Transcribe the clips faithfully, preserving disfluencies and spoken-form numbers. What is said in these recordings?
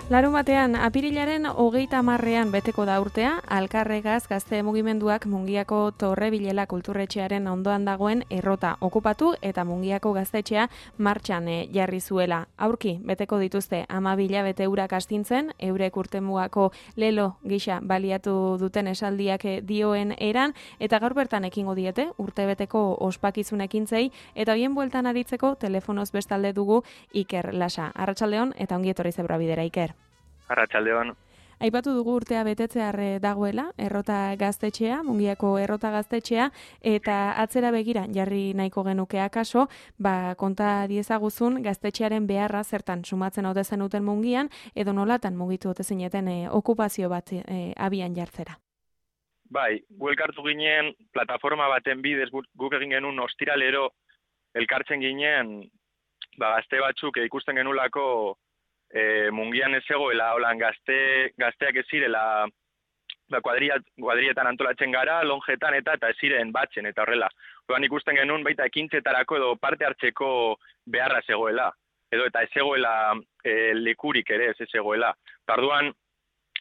Larunbatean, apirilaren hogeita hamarrean beteko da urtea, Alkarregaz gazte mugimenduak Mungiako Torrebilela kulturretxearen ondoan dagoen errota okupatu eta Mungiako gaztetxea martxan jarri zuela. Aurki, beteko dituzte hamabi bete urak astintzen, eurek urtemugako lelo gisa baliatu duten esaldiak dioen eran, eta gaur bertan ekingo diete, urtebeteko ospakizunekin zei, eta hoien bueltan aritzeko telefonoz bestalde dugu Iker Lasa. Arratsaldeon eta ongi etorri Zebra Bidera, Iker. Arratsaldeon. Aipatu dugu urtea betetzear dagoela, errota gaztetxea, Mungiako errota gaztetxea, eta atzera begira jarri nahiko genuke akaso, ba, konta diezaguzun gaztetxearen beharra zertan sumatzen ote zenuten Mungian, edo nolatan mugitu ote zineten e, okupazio bat e, abian jartzera. Bai, gu elkartu ginen plataforma baten bidez guk egin genuen ostiralero elkartzen ginen, ba, gazte batzuk ikusten genulako E, Mungian ez egoela, holan gazte, gazteak ez zirela ba, kuadria, kuadrietan antolatzen gara, lonjetan eta eta ez ziren batzen, eta horrela. Horan ikusten genuen baita ekintzetarako edo parte hartzeko beharra ez egoela, edo eta ez egoela e, lekurik ere ez ez egoela. Tarduan,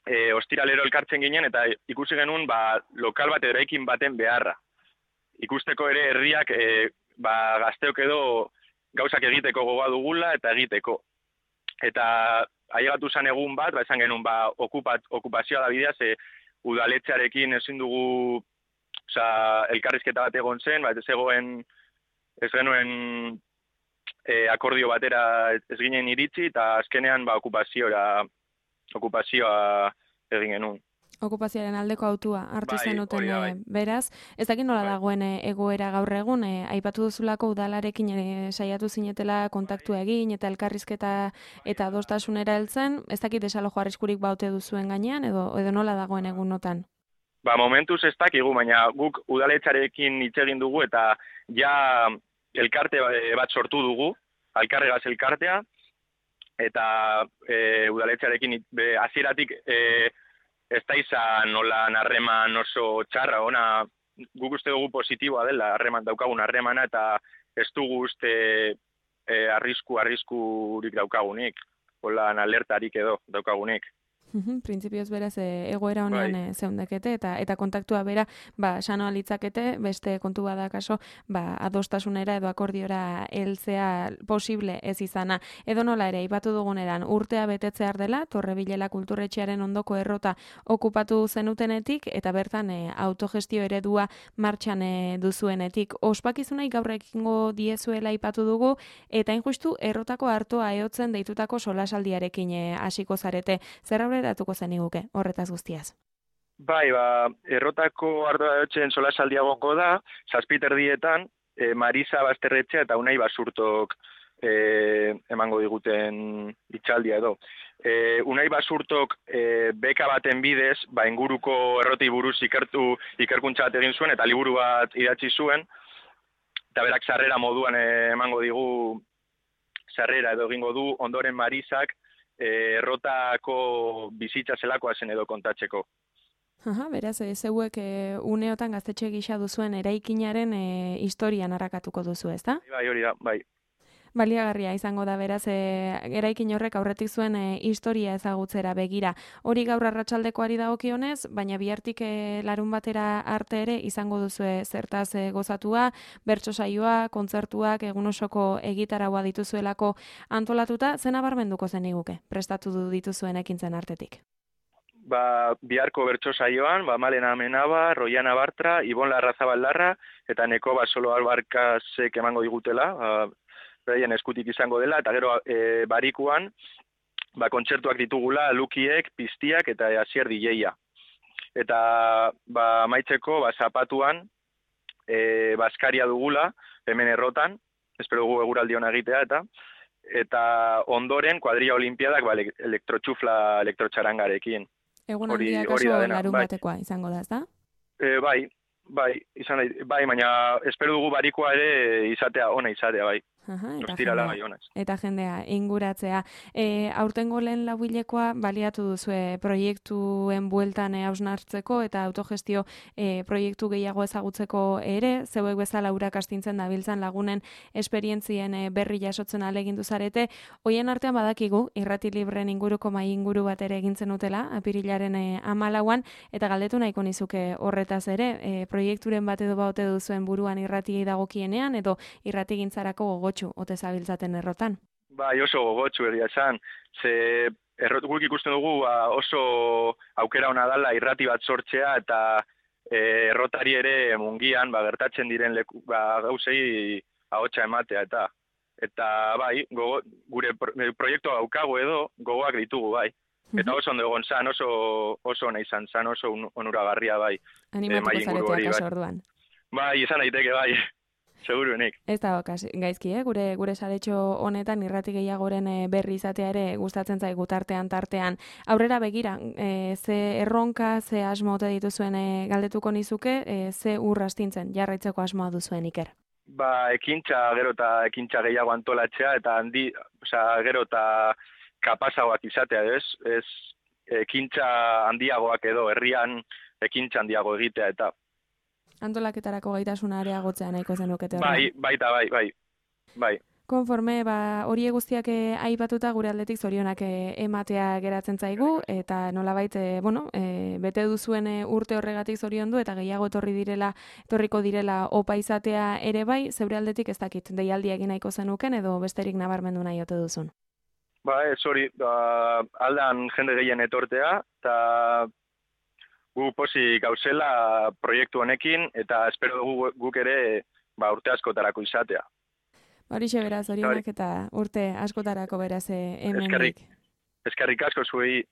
e, ostiralero elkartzen ginen eta ikusi genuen ba, lokal bat eraikin baten beharra. Ikusteko ere herriak e, ba, gazteok edo gauzak egiteko gogoa dugula eta egiteko. Eta ailegatu zen egun bat, ba, esan genuen, ba, okupat, okupazioa da bidea, ze udaletxearekin ezin dugu, oza, elkarrizketa bat egon zen, ba, ez egoen, ez genuen e, akordio batera ez ginen iritsi, eta azkenean, ba, okupazioa, okupazioa egin genuen. Okupazioaren aldeko autua hartu bai, zenuten bai, bai. beraz. Ez dakit nola bai. dagoen egoera gaur egun, e, aipatu duzulako udalarekin e, saiatu zinetela kontaktua egin eta elkarrizketa eta adostasunera heltzen, ez dakit desalojo arriskurik baute duzuen gainean, edo, edo nola dagoen egunotan? Ba, momentuz ez dakigu, baina guk udaletxarekin hitz egin dugu eta ja elkarte bat sortu dugu, Alkarregaz elkartea, eta e, udaletxarekin hasieratik e, ez da izan nola harreman oso txarra, ona guk uste dugu positiboa dela, harreman daukagun harremana, eta ez dugu uste e, arrisku, arriskurik daukagunik, hola alertarik edo daukagunik. Printzipioz beraz e, egoera honean bai. e, zeundekete eta eta kontaktua bera ba sanoa litzakete, beste kontu bada kaso ba adostasunera edo akordiora heltzea posible ez izana. Edo nola ere aipatu duguneran urtea betetzear dela Torrebilela kulturretxearen ondoko errota okupatu zenutenetik eta bertan e, autogestio eredua martxan e, duzuenetik. Ospakizunai gaur ekingo diezuela aipatu dugu eta injustu errotako hartoa ehotzen deitutako solasaldiarekin hasiko zarete. Zer aurreratuko zeniguke horretaz guztiaz? Bai, ba, errotako ardoa ehotzen solasaldia egongo da, zazpiterdietan, e, Marisa Basterretxea eta Unai Basurtok e, emango diguten itxaldia edo. E, Unai Basurtok e, beka baten bidez, ba, inguruko erroti buruz ikertu, ikerkuntza bat egin zuen eta liburu bat idatzi zuen, eta berak sarrera moduan e, emango digu sarrera edo egingo du, ondoren Marisak errotako bizitza zelakoa zen edo kontatzeko. Aha, beraz, e, zeuek e, uneotan gaztetxe gisa duzuen eraikinaren e, historian harrakatuko duzu, ezta? Bai, hori da, bai. Baliagarria izango da beraz, e, eraikin horrek aurretik zuen e, historia ezagutzera begira. Hori gaur arratsaldekoari dagokionez, baina bihartik e, larun batera arte ere izango duzue zertaz e, gozatua, bertso saioa, kontzertuak, egun osoko egitaraua dituzuelako antolatuta, zen abarmenduko zeniguke, prestatu dituzuen ekintzen artetik. Ba, biharko bertso saioan, ba, Malena Amenaba, Roiana Bartra, Ibon Larrazabaldarra, eta Nekoba Solo Albarkazek emango digutela, ba, beraien eskutik izango dela, eta gero e, barikuan, ba, kontzertuak ditugula, Lukiek, Piztiak eta Asier D J-a. Eta ba, maitzeko, ba, zapatuan, e, Baskaria dugula, hemen errotan, espero dugu eguraldi hona egitea, eta eta ondoren, kuadrilla olimpiadak, ba, elektrotxufla, elektrotxarangarekin. Egun handia kaso larun bai. batekoa izango da, ezta? E, bai, bai, izan, bai, baina espero dugu barikoa ere izatea, ona izatea, bai. Aha, eta Ostirala jendea- bai honez. eta jendea inguratzea. E, aurtengo lehen lauhilekoa baliatu duzue proiektuen bueltan e, hausnartzeko eta autogestio e, proiektu gehiago ezagutzeko ere, zeuek bezala urak astintzen dabiltzan lagunen esperientzien e, berri jasotzen alegindu zarete. Hoien artean badakigu, irrati libren inguruko mai inguru bat ere egintzen utela, apirilaren e, amalauan, eta galdetu nahiko nizuke horretaz ere, e, proiekturen bat edo baute duzuen buruan irratiei dagokienean, edo irratigintzarako gogotsu ote zabiltzaten errotan. Bai, oso gogotsu egia esan. Ze errot guk ikusten dugu ba, oso aukera ona dala irrati bat sortzea eta e, errotari ere mungian ba, gertatzen diren leku, ba, gauzei ahotsa ematea eta eta bai, gogo, gure pro, proiektua daukagu edo gogoak ditugu bai. Eta oso ondo egon zan, oso oso ona izan zan, oso on- onuragarria bai. Animatuko mahai inguru hori, zaretea kaso bai. orduan. Bai, izan daiteke bai. Seguruenik. Ez da okas, gaizki, eh? gure gure saretxo honetan irrati gehiagoren eh, berri izatea ere gustatzen zaigu tartean tartean. Aurrera begira, eh, ze erronka, ze asmo ote dituzuen eh, galdetuko nizuke, eh, ze ur astintzen jarraitzeko asmoa duzuen Iker. Ba, ekintza gero eta ekintza gehiago antolatzea eta handi, osea, gero eta kapazagoak izatea, ez? Ez ekintza handiagoak edo herrian ekintza handiago egitea eta Antolaketarako gaitasuna areagotzea nahiko zenukete horrela. bai, baita bai, bai. Bai. Konforme, ba, hori guztiak eh, aipatuta gure aldetik zorionak eh, ematea geratzen zaigu, eta nolabait, eh, bueno, eh, bete duzuen eh, urte horregatik zoriondu, eta gehiago etorri direla, etorriko direla opa izatea ere bai, zeure aldetik ez dakit, deialdia egin nahiko zenuken, edo besterik nabarmendu nahi ote duzun. Ba, ez hori, ba, aldan jende gehien etortea, eta gu pozik gauzela proiektu honekin, eta espero dugu guk ere ba, urte askotarako izatea. Horixe beraz, zorionak eta urte askotarako beraz eh, hemendik. Eskerrik, eskerrik asko zuei,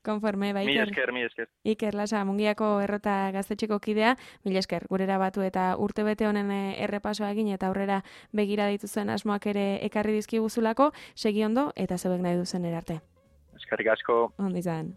Konforme, ba, mi Iker, esker, mi esker. Iker Lasa, Mungiako errota gaztetxeko kidea, mila esker, gurera batu eta urte bete honen eh, errepasoa egin eta aurrera begira dituzuen asmoak ere ekarri dizkiguzulako, segi ondo eta zeuek nahi duzen erarte. Eskerrik asko. Ondo izan.